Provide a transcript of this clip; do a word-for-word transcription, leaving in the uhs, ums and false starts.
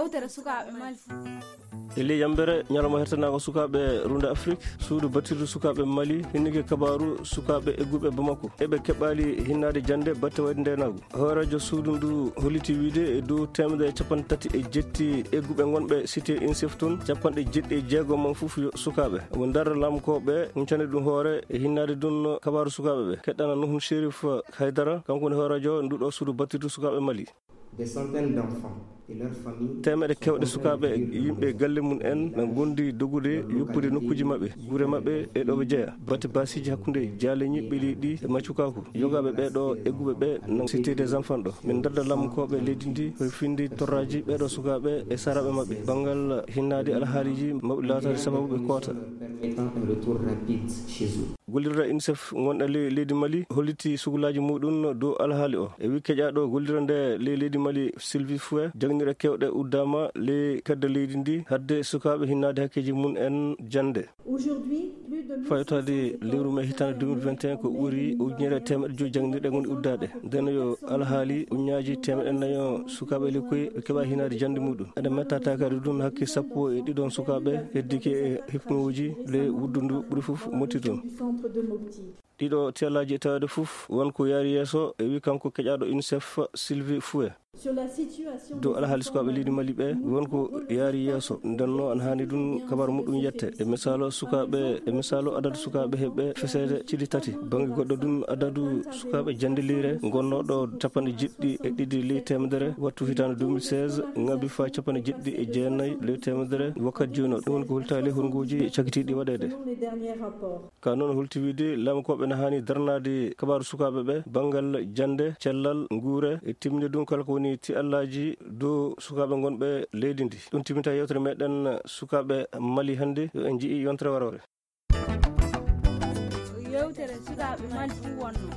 Yewtere sukaaɓe Mali. E ley yambere ñalawma hertanaango sukaaɓe Runda Afrik, suudu battirdu sukaaɓe Mali hinnike kabaaru sukaaɓe egguɓe Bamako eɓe keɓaali hinnaade jannde batte wayde ndeenaagu. Hooreejo suudu ndu holliti wiide e dow teemedere e capanɗe tati e jetti egguɓe ngonɓe cité UNICEF toon, capanɗe jeɗɗi e jeego mum fof yo sukaaɓe. Omo darra lamkooɓe huncande ɗum hoore e hinnaade ɗum kabaaru sukaaɓe ɓe. Keɗɗana Nuhun Sherif Haydara, kanko woni hooreejo nduɗo suudu battirdu sukaaɓe Mali. Des centaines d'enfants et leurs familles. Teemedere kewɗe sukaaɓe e yimɓe galle mum en na ngondi dogude yoppude nokkuuji maɓɓe, gure maɓɓe e ɗo ɓe jeya. Batte baasiiji hakkunde jaale ñiɓɓe leydi e maccukaku. Yogaaɓe ɓee ɗo egguɓe ɓe na cité des enfants ɗo. Min darda lamkooɓe leydi ndi hoy findi torraaji ɓee ɗo sukaaɓe e saraaɓe maɓɓe. Banngal hinnaade alhaaliiji maɓɓe laataade sababu ɓe koota. Permettant un retour rapide chez eux. Gollirɗo UNICEF ngonɗo ley leydi Mali holliti suklaaji muɗum dow alhaali o. E wii keƴaaɗo gollirɗo nde ley leydi Mali Sylvie Fouet, jaŋnirɗe kewɗe uddaama ley kedde leydi ndi hadde sukaaɓe hinnaade hakkeeji mum en jannde. Aujourd'hui, plus de mille cinq cents Faytaade lewru mee hitaande deux mille vingt et un ko ɓuri ujunere e teemedde joyi jaŋnirɗe ngoni uddaaɗe. Ndeen yo alhaali ujunnaaji teemedde nayo sukaaɓe lekkoy ɓe keɓa hinnaade jannde muɗum. Eɗen metta taakaade ɗum hakke sappo e ɗiɗon sukaaɓe heddike e hipnooji ley wuddundu ɓuri fof motti toon. Ɗiɗo tiyallaaji e taweede fof won ko yaari yeeso, e wi kanko keƴaaɗo UNICEF Sylvie Fouet. Dow alhaali sukaaɓe leydi Mali ɓe won ko yaari yeeso, ndenno ana haani ɗum kabaaru muɗum yette. E misaalu sukaaɓe, e misaalu adadu sukaaɓe heɓɓe feseede cili tati. Bannge goɗɗo ɗum adadu sukaaɓe jannde leyre ngonnooɗo capanɗe jeɗɗi e ɗiɗi ley teemedere wattu hitaande deux mille seize ŋabi faa capanɗe jeɗɗi e jeenayi ley teemedere wakkati jooni o. Ɗum woni ko holtaali hurngooji cakitiiɗi waɗeede. Ka noon holti wiide lamkooɓe na haani darnaade kabaaru sukaaɓe ɓe banngal jannde, cellal, nguure e timminde ɗum kala ko woni tiyallaaji dow sukaaɓe ngonɓe leydi ndi. Ɗum timminta yewtere meɗen sukaaɓe Mali hannde. Yo en njii yontere waroore. Yewtere sukaaɓe Mali ɗum wonno.